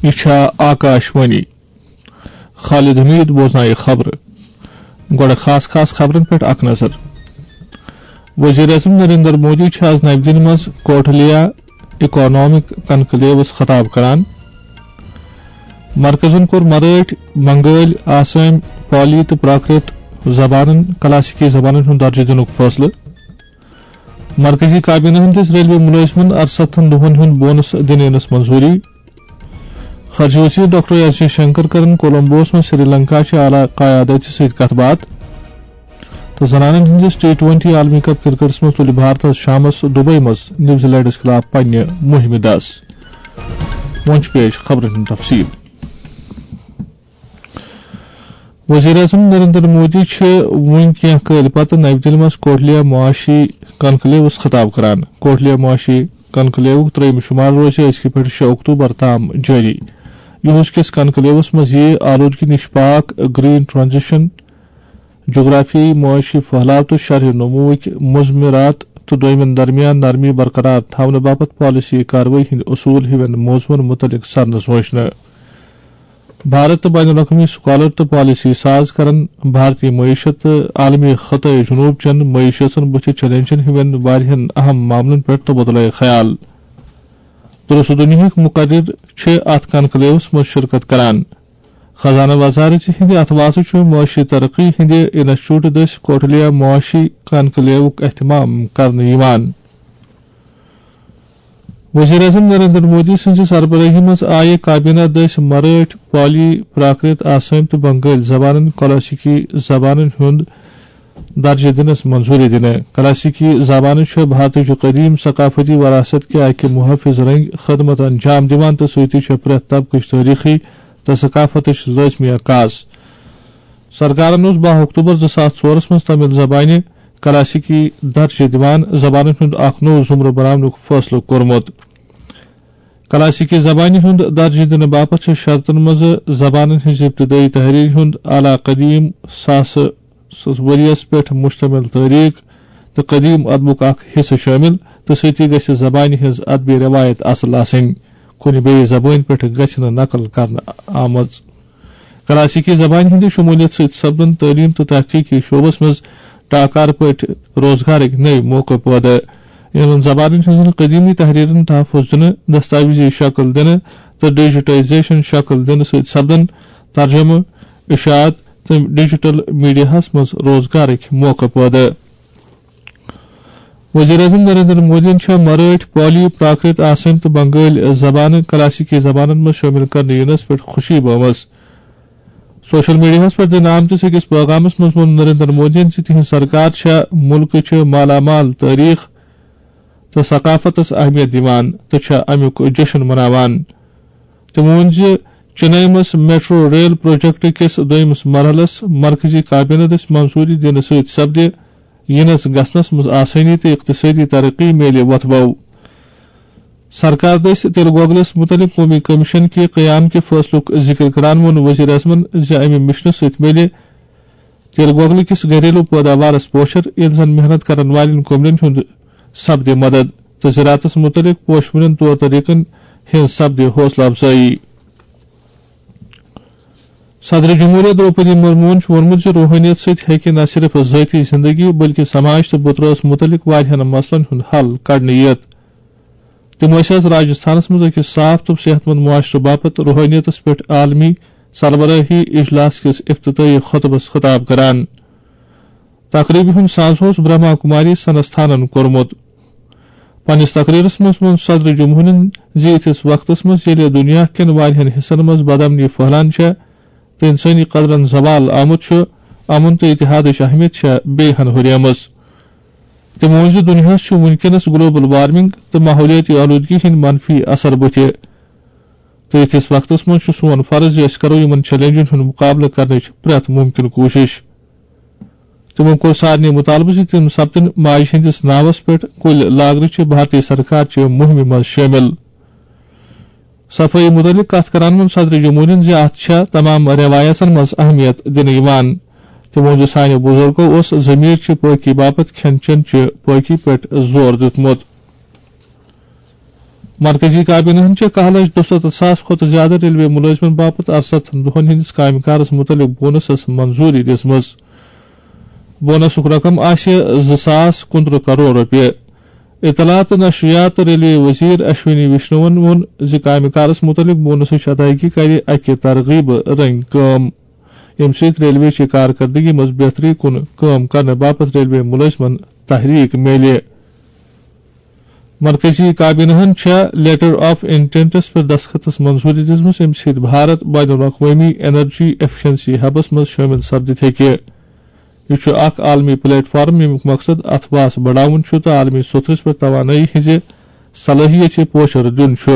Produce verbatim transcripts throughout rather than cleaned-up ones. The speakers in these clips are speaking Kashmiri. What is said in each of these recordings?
یہِ چھا آکاش وانی۔ خالد حمید بوزنایہِ خبرٕ۔ گۄڈٕ خاص خاص خبرن پٮ۪ٹھ اکھ نظر۔ وزیر اعظم نریندر مودی چھُ آز نَوِ دِلہِ منٛز کوٹھلیا اکنامک کنکلیوس خطاب کران۔ مرکزن کوٚر مرٲٹھۍ، بنگٲلۍ، آسٲمۍ، پالی تہٕ پراکرت زبانن کلاسیکی زبانن ہُنٛد درجہٕ دِنُک فٲصلہٕ۔ مرکزی کابینہ ہن دِژ ریلوے مُلٲزمن اَرسَتتھن دۄہن ہُنٛد بونس دِنہٕ یِنس منظوٗری۔ خارجہ وزیر ڈاکٹر ایس جے شنکر کرن کولمبوس منٛز سری لنکا چہِ اعلیٰ قیادت سۭتۍ کتھ باتھ۔ تہٕ زنانن ہٕنٛدِس ٹی ٹوینٹی عالمی کپ کرکٹس منٛز تُلہِ بھارتس شامس دبئی منٛز نیوزی لینڈس خلاف پننہِ مُہِمہِ دس۔ وۄنۍ چھُ پیش خبرن ہُنٛد تفصیل۔ وزیر اعظم نریندر مودی چھِ وُنۍ کینٛہہ کٲلۍ پتہٕ نَوِ دِلہِ منٛز کوٹھلیا معاشی کنکلیوس خطاب کران۔ کوٹھلیا معاشی کنکلیوُک ترٛیٚیِم شُمار روزِ أزکہِ پٮ۪ٹھ شےٚ اکتوبر تام جٲری۔ یُہُس کِس کنکلیوس منٛز یِیہِ آلودگی نِش پاک، گرین ٹرانزیشن، جغرافیائی معاشی پھٔہلاو تہٕ شرح نموٗوٕکۍ مضمرات تہٕ دویمٮ۪ن درمیان نرمی برقرار تھاونہٕ باپتھ پالیسی کاروٲیی ہٕنٛدۍ اصوٗل ہِوٮ۪ن موضوعن مُتعلق سرنہٕ سوچنہٕ۔ بھارت تہٕ بین الاقوٲمی سکالر تہٕ پالیسی ساز کرن بھارتی معیشت تہٕ عالمی خطہ جنوب چٮ۪ن معیشتن بُتھِ چیلنجن ہِوٮ۪ن واریاہن اہم معاملن پٮ۪ٹھ تبادلہ خیال۔ درست دُنیاہٕکۍ مقرر چھِ اتھ کنکلیوس منٛز شرکت کران۔ خزانہٕ وزارت ہٕنٛدِ اتھوازٕ چھُ معاشی ترقی ہٕنٛدِ انسٹیٹیوٹ دٔسۍ کوٹھلیا معاشی کنکلیوُک اہتمام کرنہٕ یِوان۔ وزیر اعظم نریندر مودی سٕنٛزِ سربرٲہی منٛز آیہِ کابینہ دٔسۍ مرٲٹھۍ، پالی، پراکرت، آسٲمۍ تہٕ بنگٲلۍ زبانن کلاسیکی زبانن ہُنٛد درجہٕ دِنس منظوٗری دِنہٕ۔ کلاسیکی زبانہٕ چھےٚ بھارتٕچ قدیم ثقافتی وراثت کہِ اکہِ محافظ رنگۍ خدمت انجام دِوان تہٕ سۭتی چھےٚ پرٛٮ۪تھ طبقٕچ تٲریٖخی تہٕ ثقافتٕچ لٲزمی عکاس۔ سرکارن اوس باہ اکتوبر زٕ ساس ژورس منٛز تامل زبانہِ کلاسیکی درجہٕ دِوان زبانن ہُنٛد اکھ نوٚو زمرٕ بناونُک فٲصلہٕ کوٚرمُت۔ کلاسیکی زبانہِ ہُنٛد درجہٕ دِنہٕ باپتھ چھِ شرطن منٛز زبانن ہٕنٛز ابتدٲیی تحریر ہُنٛد اعلیٰ قدیم ساسہٕ سٕنٛز ؤریَس پٮ۪ٹھ مشتمل تٲریخ تہٕ قدیم ادبُک اکھ حصہٕ شٲمِل تہٕ سۭتی گژھِ زبانہِ ہٕنٛز ادبی رٮ۪وایت اصل آسٕنۍ۔ کُنہِ بیٚیہِ زبٲنۍ پٮ۪ٹھ گژھِ نہٕ نقل کرنہٕ آمٕژ۔ کلاسیکی زبانہِ ہٕنٛدِ شمولیت سۭتۍ سپدن تعلیٖم تہٕ تحقیقی شعبس منٛز ٹاکار پٲٹھۍ روزگارٕکۍ نٔوۍ موقعہٕ پٲدٕ۔ یِمن زبانن ہٕنٛزن قدیمی تحریرن تحفظ دِنہٕ، دستاویزی شکل دِنہٕ تہٕ ڈیجیٹائزیشن شکل دِنہٕ سۭتۍ سپدن ترجمہٕ، اشاعت تہٕ ڈیجیٹل میڈیاہس منٛز روزگارٕکۍ موقعہٕ پٲدٕ۔ وزیر اعظم نریندر مودیَن چھےٚ مرٲٹھۍ، پالی، پراکرت، آسٲمۍ تہٕ بنگٲلۍ زبانہٕ کلاسیکی زبانن منٛز شٲمِل کرنہٕ یِنس پٮ۪ٹھ خوشی بٲومٕژ۔ سوشل میڈیاہَس پٮ۪ٹھ دِنہٕ آمتِس أکِس پیغامَس منٛز ووٚن نریندر مودیَن زِ تِہنٛز سرکار چھےٚ مُلکٕچہِ مالا مال تٲریٖخ تہٕ ثقافتَس اہمیت دِوان تہٕ چھےٚ اَمیُک جشن مناوان۔ تٔمۍ ووٚن زِ چنئی منٛز میٹرو ریل پروجیکٹ کِس دوٚیمِس مرحلَس مرکزی کابینہ دٔسۍ منظوٗری دِنہٕ سۭتۍ سپدِ یِنَس گژھنَس منٛز آسٲنی تہٕ اقتصٲدی ترقی میلہِ وۄتھٕ بَو۔ سرکار دٔسۍ تِلہٕ گۄگلَس مُتعلِق قومی کمیشن کہِ قیام کہِ فٲصلُک ذِکر کران ووٚن وزیر اعظمَن زِ اَمہِ مِشنہٕ سۭتۍ میلہِ تِلہٕ گۄگلہٕ کِس گھریلو پٲداوارَس پوچھر، ییٚلہِ زَن محنت کرن والٮ۪ن کُملٮ۪ن ہُنٛد سپدِ مدد تہٕ زراعتَس مُتعلِق پوشوٕنٮ۪ن طور طریقن ہٕنٛز سپدِ حوصلہٕ افزٲیی۔ صدر جمہوریہ درٛوپدی مُرموٗہن چھُ ووٚنمُت زِ روحٲنیت سۭتۍ ہیٚکہِ نہ صرف ذٲتی زندگی بلکہِ سماج تہٕ بُترٲژ مُتعلِق واریاہن مسلن ہُنٛد حل کڑنہٕ یِتھ۔ تِم ٲسۍ آز راجستھانس منٛز أکِس صاف تہٕ صحت مند معاشرٕ باپتھ روحٲنیتس پٮ۪ٹھ عالمی سربراہی اجلاس کِس افتتاحی خطبس خطاب کران۔ تقریبہِ ہُنٛد ساز اوس برہما کماری سنستھانن کوٚرمُت۔ پننِس تقریرس منٛز ووٚن صدر جمہوریہن زِ یِتھِس وقتس منٛز ییٚلہِ دُنیا کٮ۪ن واریاہن حصن منٛز بدامنی پھٔہلان چھےٚ تہٕ انسٲنی قدرن زوال آمُت چھُ، امن تہٕ اتحادٕچ اہمیت چھےٚ بیٚیہِ ہن ہُریمٕژ۔ تٔمۍ ووٚن زِ دُنیاہَس چھُ وُنکیٚنَس گلوبل وارمنگ تہٕ ماحولیٲتی آلودگی ہٕنٛدۍ منفی اثر بُتھِ، تہٕ یِتھِس وقتَس منٛز چھُ سون فرض زِ أسۍ کرو یِمَن چیلنجن ہُنٛد مُقابلہٕ کرنٕچ پرٛٮ۪تھ مُمکِن کوٗشش۔ تِمَو کوٚر سارنٕے مُطالبہٕ زِ تِم سپدن ماجہِ ہٕنٛدِس ناوَس پٮ۪ٹھ کُلۍ لاگنٕچہِ بھارتی سرکار چہِ مُہِمہِ منٛز شٲمِل۔ صفٲیی مُتعلِق کَتھ کران ووٚن صدر جمہوریہن زِ اَتھ چھےٚ تمام رٮ۪وایژن منٛز اہمیت دِنہٕ یِوان۔ تِمو ووٚن زِ سانہِ بُزرگو اوس ضمیٖر چہِ پٲکی باپتھ کھٮ۪ن چٮ۪ن چہِ پٲکی پٮ۪ٹھ زور دیُتمُت۔ مرکزی کابینہن چھےٚ کاہ لچھ دُسَتتھ ساس کھۄتہٕ زیادٕ ریلوے مُلٲزمن باپتھ اَرسَتتھ دۄہَن ہٕنٛدِس کامہِ کارس مُتعلِق بونسس منظوٗری دِژمٕژ۔ بونسُک رقم آسہِ زٕ ساس کُنترٕہ کرور رۄپیہِ۔ اطلاعات تہٕ نشریات تہٕ ریلوے وزیر اشونی وشنوَن ووٚن زِ کامہِ کارس مُتعلِق بونسٕچ ادائیگی کرِ اَکہِ ترغیبہٕ رٔنگۍ کٲم، ییٚمہِ سۭتۍ ریلوے چہِ کارکردگی منٛز بہتری کُن کٲم کرنہٕ باپتھ ریلوے مُلٲزمن تحریک میلہِ۔ مرکزی کابینہن چھےٚ لیٹر آف انٹینٹس پٮ۪ٹھ دستخطس منظوٗری دِژمٕژ، ییٚمہِ سۭتۍ بھارت بین الاقوٲمی انرجی ایفیشنسی ہبس منٛز شٲمِل سپدِتھ ہیٚکہِ۔ یہِ چھُ اکھ عالمی پلیٹ فارم، ییٚمیُک مقصد اتھواس بڑاوُن چھُ تہٕ عالمی سطحس پٮ۪ٹھ توانٲیی ہٕنٛزِ صلٲحیژِ پوچھر دیُن چھُ۔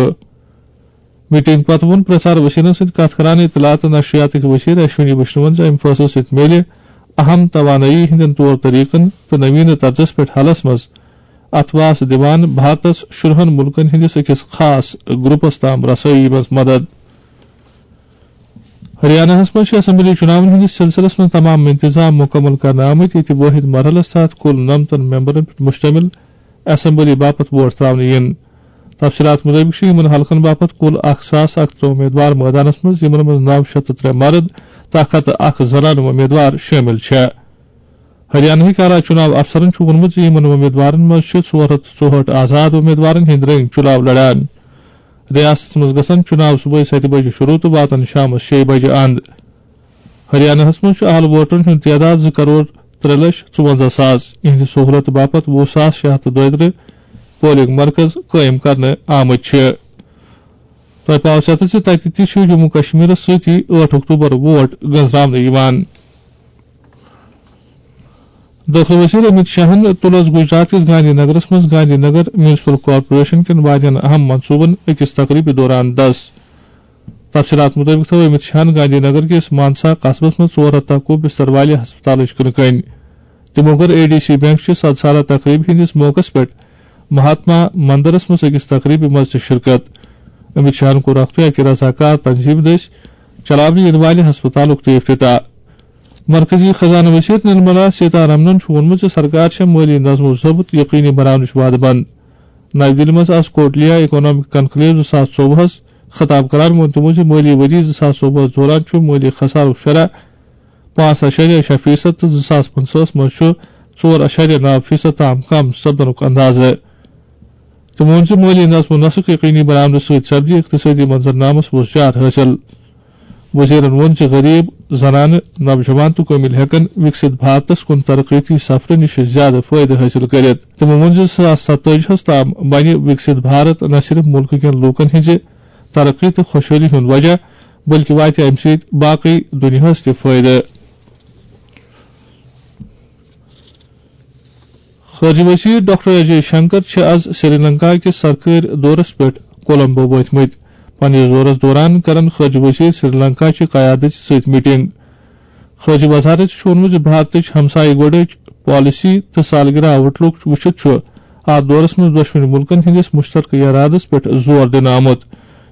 میٹنگ پتہٕ ووٚن پرسار وسیلن سۭتۍ کتھ کران اطلاعات تہٕ نشریاتٕکۍ وزیر اشونی وشنوَن زِ امہِ فٲصلہٕ سۭتۍ میلہِ اہم توانٲیی ہٕنٛدٮ۪ن طور طریقن تہٕ نوینہٕ طرزس پٮ۪ٹھ حلس منٛز اتھواس دِوان بھارتس شُرہن مُلکن ہٕنٛدِس أکِس خاص گروپس تام رسٲیی منٛز مدد۔ ہریاناہس منٛز چھِ اسمبلی چُناون ہٕنٛدِس سلسلس منٛز تمام انتظام مُکمل کرنہٕ آمٕتۍ، ییٚتہِ وٲحد مرحلس تحت کُل نَمتَن ممبرن پٮ۪ٹھ مشتمل اسمبلی باپتھ ووٹ تراونہٕ یِن۔ تفصیلات مُطٲبِق چھِ یِمَن حلقن باپتھ کُل اکھ ساس اکترٕہ امیدوار مٲدانَس منٛز، یِمَن منٛز نَو شیٚتھ تہٕ ترٛےٚ مرد تہٕ اکھ ہَتھ تہٕ اکھ زنانہٕ امیدوار شٲمِل چھےٚ۔ ہریانہٕکۍ اعلیٰ چُناو افسرَن چھُ ووٚنمُت زِ یِمَن امیدوارَن منٛز چھِ ژور ہَتھ تہٕ ژُہٲٹھ آزاد امیدوارَن ہٕنٛدۍ رٔنگۍ چُناو لڑان۔ ریاستَس منٛز گژھن چُناو صبحٲے سَتہِ بجہِ شروٗع تہٕ واتن شامَس شیٚیہِ بجہِ اند۔ ہریاناہَس منٛز چھُ اہل ووٹرَن ہُنٛد تعداد زٕ کرور ترٛےٚ لچھ ژُوَنزاہ ساس۔ یِہنٛدِ سہوٗلت باپتھ وُہ ساس شےٚ ہَتھ تہٕ دۄیہِ ترٕٛہ پولنگ مرکز قٲیِم کرنہٕ آمٕتۍ چھِ۔ تۄہہِ پاوو ژیتس زِ تَتہِ تہِ چھُ جموں کشمیرَس سۭتی ٲٹھ اکتوبر ووٹ گنزراونہٕ یِوان۔ دٲخلہٕ وزیر امت شاہن تُل از گجرات کِس گاندھی نگرس منٛز گاندھی نگر میونسپل کارپوریشن کٮ۪ن واریاہن اہم منصوبن أکِس تقریبہِ دوران دس۔ تفصیلات مُطٲبِق تھٲو امت شاہن گاندھی نگر کِس مانسا قصبس منٛز ژور ہَتھ تہٕ اَکوُہ بستر والہِ ہسپتالٕچ کٕنہٕ کٔنۍ۔ تِمو کٔر اے ڈی سی بینک چہِ صد سالہ تقریبہِ ہٕنٛدِس موقعس پٮ۪ٹھ مہاتما مندرس منٛز أکِس تقریبہِ منٛز تہِ شرکت۔ امت شاہن کوٚر اکھ تہٕ اکہِ رضاکار تنظیمہِ دٔسۍ چلاونہٕ یِنہٕ والہِ ہسپتالُک تہِ افتتاح۔ مرکزی خزانہٕ وزیر نرملا سیتارمنن چھُ ووٚنمُت زِ سرکار چھےٚ مٲلی نظم و ضبط یقینی بناونٕچ وعدٕ بنٛد۔ نَوِ دِلہِ منٛز آز کوٹلیا اکنامک کنکلیو زٕ ساس ژوٚوُہس خطاب کران ووٚن تِمو زِ مٲلی ؤری زٕ ساس ژوٚوُہس دوران چھُ مٲلی خسارُک شرح پانٛژھ اَشاریہ شےٚ فیصد تہٕ زٕ ساس پٕنٛژٕہس منٛز چھُ ژور اَشاریہ نَو فیصد تام کم سپدنُک اندازٕ۔ تٔمۍ ووٚن زِ مٲلی نظم و نسق یقینی بناونہٕ سۭتۍ سپدِ اقتصٲدی منظرنامس وۄزجار حٲصِل۔ وزیرن ووٚن زِ غریب، زنانہٕ، نوجوان تہٕ کٲمِل ہٮ۪کن وِکسِت بھارتس کُن ترقیتی سفرٕ نِش زیادٕ فٲیدٕ حٲصِل کٔرِتھ۔ تِمو ووٚن زِ زٕ ساس ستٲجی ہس تام بنہِ وِکسِت بھارت نہ صرف مُلکہٕ کٮ۪ن لوٗکن ہٕنٛزِ ترقی تہٕ خۄشحٲلی ہُنٛد وجہ، بلکہِ واتہِ امہِ سۭتۍ باقٕے دُنیاہس تہِ فٲیدٕ۔ خارجہ وزیر ڈاکٹر اجے شنکر چھِ از سری لنکا کِس سرکٲرۍ دورس پٮ۪ٹھ کولمبو وٲتمٕتۍ۔ پننِس دورس دوران کرن خارجہ وزیر سری لنکا چہِ قیادت سۭتۍ میٹنگ۔ خارجہ وزارت چھُ ووٚنمُت زِ بھارتٕچ ہمسایہِ گۄڈٕچ پالیسی تہٕ سالگرہ آؤٹ لک وٕچھِتھ چھُ اتھ دورس منٛز دۄشوٕنی مُلکن ہٕنٛدِس مُشترکہٕ ارادس پٮ۪ٹھ زور دِنہٕ آمُت،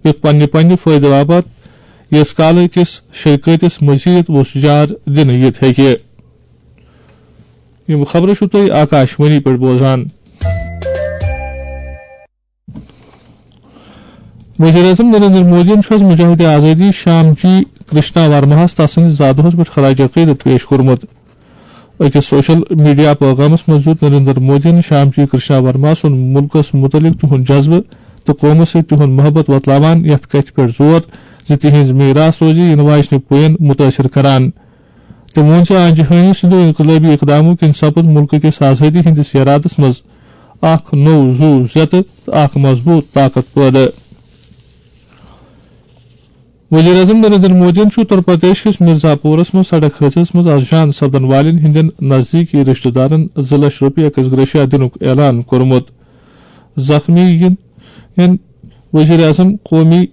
یُتھ پننہِ پننہِ فٲیدٕ باپتھ یس کالہٕ کِس شرکٲتِس مزید وۄزجار دِنہٕ یِتھ ہیٚکہِ۔ یِم خبرٕ چھِو تُہۍ آکاش وانی پٮ۪ٹھ بوزان۔ وزیر اعظم نریندر مودیَن چھُ از مجاہد آزادی شام جی کرشنا ورماہَس تسٕنٛدِس زادٕ دۄہَس پٮ۪ٹھ خراج عقیدت پیش کوٚرمُت۔ أکِس سوشل میڈیا پیغامَس منٛز دیُت نریندر مودیَن شام جی کرشنا ورما سُنٛد مُلکَس مُتعلِق تِہُنٛد جذبہٕ تہٕ قومَس سۭتۍ تِہُنٛد محبت وۄتلاوان یَتھ کَتھِ پٮ۪ٹھ زور زِ تِہنٛز میراث روزِ یِنہٕ واجنہِ پُیَن مُتٲثِر کران۔ تٔمۍ ووٚن زِ آنجہانی سٕنٛدیو انقلٲبی اقدامو کِنۍ سپُد مُلکہٕ کِس آزٲدی ہٕنٛدِس یرادس منٛز اکھ نوٚو زُو زیتہٕ تہٕ اکھ مضبوٗط طاقت پٲدٕ۔ وزیر اعظم نریندر مودیَن چھُ اتر پردیش کِس مرزا پورس منٛز سڑک حٲدثس منٛز از جان سپدن والٮ۪ن ہٕنٛدٮ۪ن نزدیٖکی رشتہٕ دارن زٕ لچھ رۄپیہِ عکس گریشیا دِنُک اعلان کوٚرمُت۔ زخمی یِن، یِن وزیر اعظم قومی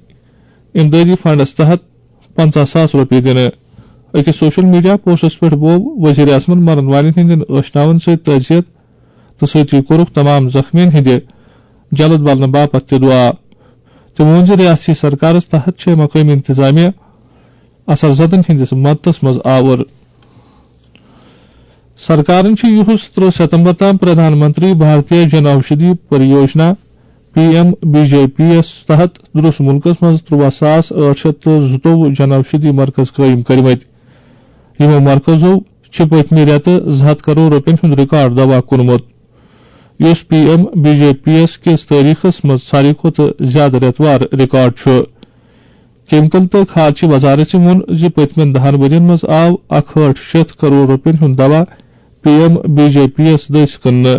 امدادی فنڈس تحت پنژاہ ساس رۄپیہِ دِنہٕ۔ أکِس سوشل میڈیا پوسٹس پٮ۪ٹھ بوو وزیر اعظمن مرن والٮ۪ن ہٕنٛدٮ۪ن ٲشناون سۭتۍ تعزیت تہٕ سۭتی کوٚرُکھ تمام زخمیَن ہٕنٛدِ جلد بلنہٕ باپتھ تہِ دُعا۔ تٔمۍ ووٚن زِ ریاستی سرکارس تحت چھِ مقٲمی انتظامیہ اثر زدن ہٕنٛدِس مدتس منٛز آوُر۔ سرکارن چھُ یِہُس ترٕٛہ ستمبر تام Pradhan Mantri Bharatiya Jan Aushadhi Pariyojana P M B J P یس تحت درس ملکس منٛز ترٛواہ ساس ٲٹھ شیٚتھ تہٕ زٕتووُہ جن اوشدھی مرکز قٲیِم کٔرمٕتۍ۔ یِمو مرکزو چھِ پٔتمہِ رٮ۪تہٕ زٕ ہَتھ کرور رۄپین ہُنٛد ریکارڈ دوا کوٚرمُت، یُس P M B J P یس کِس تٲریخس منٛز ساروی کھۄتہٕ زیادٕ رٮ۪تہٕ وار ریکارڈ چھُ۔ کیمیکل تہٕ کھاد چہِ وزارت ووٚن زِ پٔتمٮ۪ن دَہَن ؤرین منٛز آو اکھ ہٲٹھ شیٚتھ کرور رۄپین ہُنٛد دوا P M B J P یس دٔسۍ کٕننہٕ،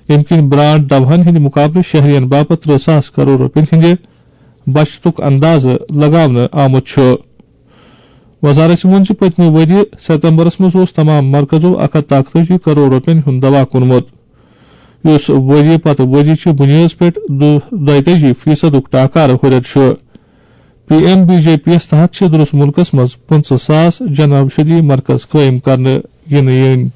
ییٚمہِ کِنۍ برانڈ دوہَن ہٕنٛدِ مُقابلہٕ شہرین باپتھ ترٕٛہ ساس کرور رۄپین ہٕنٛدِ بچتُک اندازٕ لگاونہٕ آمُت چھُ۔ وزارت ووٚن زِ پٔتمہِ ؤرۍ یہِ ستمبرس منٛز اوس تمام مرکزو اکھ ہتھ تاکتٲجی کرور رۄپین ہُنٛد دوا کُنمُت، یُس ؤرۍ یہِ پتہٕ ؤرۍ یہِ چہِ بُنیٲدس پٮ۪ٹھ دُ-، دۄیتٲجی فیصدُک ٹاکارٕ ہُرٮ۪ر چھُ۔ P M B J P یَس تحت چھِ درست مُلکَس منٛز پٕنٛژٕہ ساس جن اوشدھی مرکز قٲیِم کرنہٕ یِنہٕ یِنۍ۔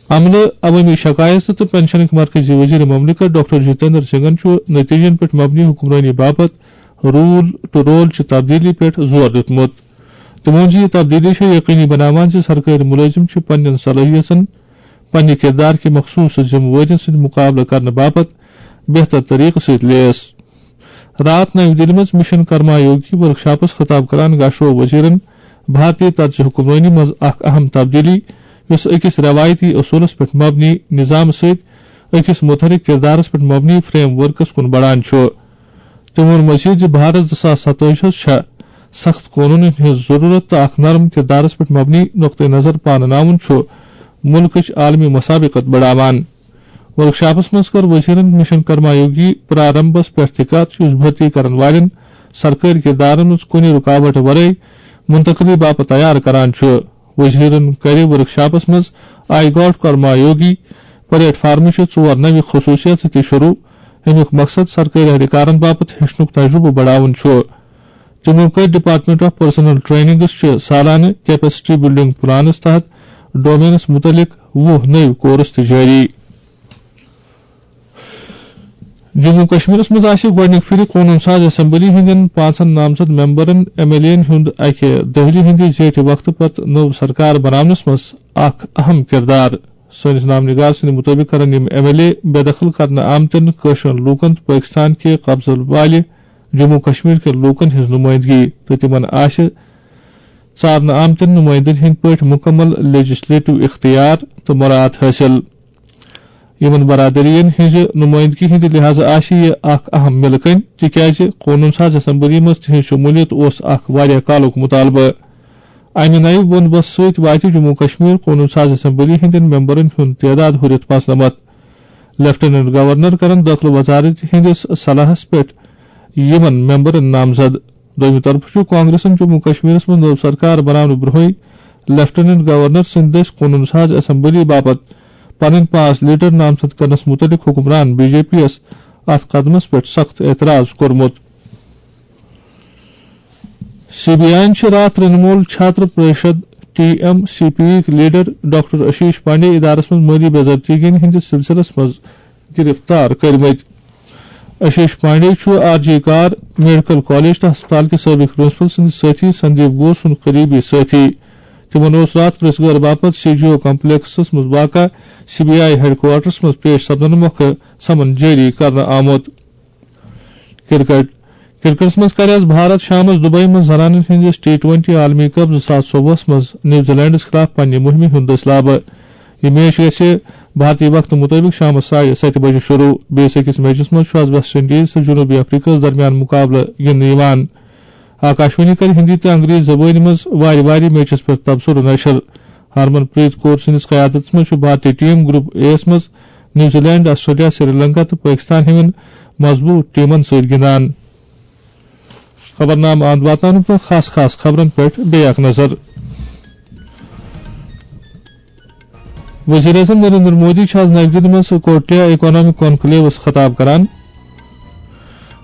عملہٕ، عوٲمی شکایت تہٕ پنشنٕکۍ مرکزی وزیر مملکت ڈاکٹر جتیندر سنگھن چھُ نتیجن پٮ۪ٹھ مبنی حکمرٲنی باپتھ رول ٹو رول چہِ تبدیلی پٮ۪ٹھ زور دیُتمُت۔ تٔمۍ ووٚن زِ یہِ تبدیلی چھےٚ یقینی بناوان زِ سرکٲرۍ مُلٲزِم چھِ پننٮ۪ن صلٲحیژن، پننہِ کردار کہِ مخصوص ذمہٕ وٲرین سۭتۍ مقابلہٕ کرنہٕ باپتھ بہتر طریقہٕ سۭتۍ لیس۔ راتھ نَوِ دِلہِ منٛز مشن کرما یوگی ورکشاپس خطاب کران گاشرو وزیرن بھارتی طرزِ حکمرٲنی منٛز اکھ اہم تبدیلی، یۄس أکِس روایتی اصولس پٮ۪ٹھ مبنی نظام سۭتۍ أکِس متحرک کردارس پٮ۪ٹھ مبنی فریم ورکس کُن بڑان چھُ۔ تٔمۍ ووٚن مزید زِ بھارت زٕ ساس ستٲجی ہَس چھےٚ سخت قونوٗنن ہٕنٛز ضروٗرت تہٕ اکھ نرم کردارس پٮ۪ٹھ مبنی نقطہٕ نظر پانہٕ ناوُن چھُ مُلکٕچ عالمی مسابقت بڑاوان۔ ورکشاپس منٛز کٔر وزیرن مشن کرما یوگی پرارمبس پٮ۪ٹھ تہِ کتھ، یُس بھرتی کرن والٮ۪ن سرکٲرۍ کردارن منٛز کُنہِ رُکاوٹ ورٲے منتقلی باپتھ تیار کران چھُ۔ وزیرن کرِ ورکشاپس منٛز I God Karma Yogi plate فارمٕچہِ ژور نوِ خصوصیژٕ تہِ شروع۔ اَمیُک مقصد سرکٲرۍ اہلکارن باپتھ ہیٚچھنُک تجربہٕ بڑاوُن چھُ۔ تِمو کٔرۍ ڈپارٹمنٹ آف پرسنل ٹریننگس چہِ سالانہٕ کیپیسٹی بلڈنگ پلانس تحت ڈومینس متعلق وُہ نٔوۍ کورس تہِ جٲری۔ جموں کشمیرس منٛز آسہِ گۄڈٕنِکہِ پھِرِ قونوٗن ساز اسمبلی ہٕنٛدٮ۪ن پانٛژن نامزد ممبرن، ایم ایل اے ہن ہُنٛد اکہِ دٔہلہِ ہٕنٛدِ زیٹھِ وقتہٕ پتہٕ نٔو سرکار بناونس منٛز اکھ اہم کردار۔ سٲنِس نامنگار سٕنٛدِ مُطٲبِق کرن یِم ایم ایل اے بے دخل کرنہٕ آمتٮ۪ن کٲشرٮ۪ن لوٗکن تہٕ پٲکِستان کہِ قبضہٕ والہِ جموں کشمیر کٮ۪ن لوٗکن ہٕنٛز نُمٲیندگی تہٕ تِمن آسہِ ژارنہٕ آمتٮ۪ن نُمٲیندن ہٕنٛدۍ پٲٹھۍ مُکمل لیجسلیٹو اختیار تہٕ مراعات حٲصِل۔ یِمن برادرین ہٕنٛزِ نُمٲیندگی ہٕنٛدِ لحاظہٕ آسہِ یہِ اکھ اہم مِلہٕ کٔنۍ، تِکیازِ قونوٗن ساز اسمبلی منٛز تِہنٛز شمولیت اوس اکھ واریاہ کالُک مُطالبہٕ۔ امہِ نَیہِ بندوبست سۭتۍ واتہِ جموں کشمیر قونوٗن ساز اسمبلی ہٕنٛدٮ۪ن ممبرن ہُنٛد تعداد ہُرِتھ پانٛژنمتھ۔ لیفٹیننٹ گورنر کرن دٲخلہٕ وزارت ہٕنٛدِس صلاحس پٮ۪ٹھ یِمن ممبرن نامزد۔ دوٚیمہِ طرفہٕ چھُ کانگریسن جموں کشمیرس منٛز نٔو سرکار بناونہٕ برٛونٛہٕے لیفٹیننٹ گورنر سٕنٛدِ دٔسۍ قونوٗن ساز اسمبلی باپتھ پنٕنۍ پانٛژھ لیڈر نامزد کرنس مُتعلق حکمران بی جے پی یَس اتھ قدمس پٮ۪ٹھ سخت اعتراض کوٚرمُت۔ سی بی آئی یَن چھِ راتھ Trinamool Chhatra Parishad, T M C P یِک لیڈر ڈاکٹر اشیش پانڈے ادارس منٛز مٲلی بے ضٲبطگین ہٕنٛدِس سلسلس منٛز گرفتار کٔرمٕتۍ۔ اشیش پانڈے چھُ آر جی کار میڈیکل کالج تہٕ ہسپتال کِس سٲبق پرنسپل سٕنٛدِ سٲتھی سندیپ گھوش سُنٛد قریبی سٲتھی۔ تِمن اوس راتھ پریس گٲر باپتھ سی جی او کمپلیکسس منٛز واقع C B I headquarters منٛز پیش سپدنہٕ مۄکھٕ سمن جٲری کرنہٕ آمُت۔ کرکٹ۔ کرکٹس منٛز کرِ آز بھارت شامس دبئی منٛز زنانن ہٕنٛدِس ٹی ٹوینٹی عالمی کپ زٕ ساس ژوٚوُہس منٛز نیوزی لینڈس خلاف پننہِ مُہمہِ ہُنٛد دٔسۍ لابہٕ۔ یہِ میچ گژھِ بھارتی وقتہٕ مُطٲبِق شامس ساڑِ ستہِ بجہِ شروع۔ بیٚیِس أکِس میچس منٛز چھُ آز ویسٹ انڈیز تہٕ جنوٗبی افریقہس درمیان مُقابلہٕ گِنٛدنہٕ یِوان۔ آکاشوانی کرِ ہِندی تہٕ انگریزی زبٲنۍ منٛز وارِ وارِ میچس پٮ۪ٹھ تبصرٕ نشر۔ ہرمن پریت کور سٕنٛدِس قیادتس منٛز چھُ بھارتی ٹیم گروپ اے یَس منٛز New Zealand, Australia, Sri Lanka تہٕ پٲکِستان ہِوٮ۪ن مضبوٗط ٹیمن سۭتۍ گِنٛدان۔ خبرنامہٕ اند واتناونہٕ برٛونٛہہ خاص خاص خبرن پٮ۪ٹھ بیٚیہِ اکھ نظر۔ وزیر اعظم نریندر مودی چھُ آز نَیہِ دِلہِ منٛز کوٹلیا اکنامک کانکلیوس خطاب کران۔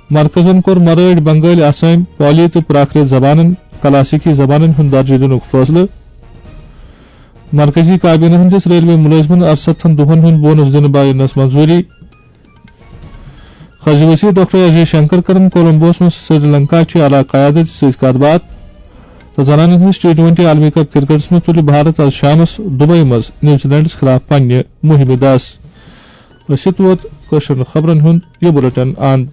مرکزن کوٚر مرٲٹھۍ، بنگٲلۍ، آسٲمۍ، پالی تہٕ پراکرت زبانن کلاسیکی زبانن ہُنٛد درجہٕ دِنُک فٲصلہٕ۔ مرکزی کابینہ ہٕنٛدِس ریلوے مُلٲزمن ارستتھن دۄہن ہُنٛد بونس دِنہٕ باینس منظوٗری۔ خزی وزیر ڈاکٹر اجے شنکر کرن کولمبوس منٛز سری لنکا چہِ اعلیٰ قیادت سۭتۍ کتھ باتھ۔ تہٕ زنانن ہٕنٛدِس ٹی ٹوینٹی عالمی کپ کرکٹس منٛز تُلہِ بھارت آز شامس دبئی منٛز نیوزی لینڈس خلاف پننہِ مُہِمہِ دس۔ أسۍ ووت کٲشرٮ۪ن خبرن ہُنٛد یہِ بُلٹن اند۔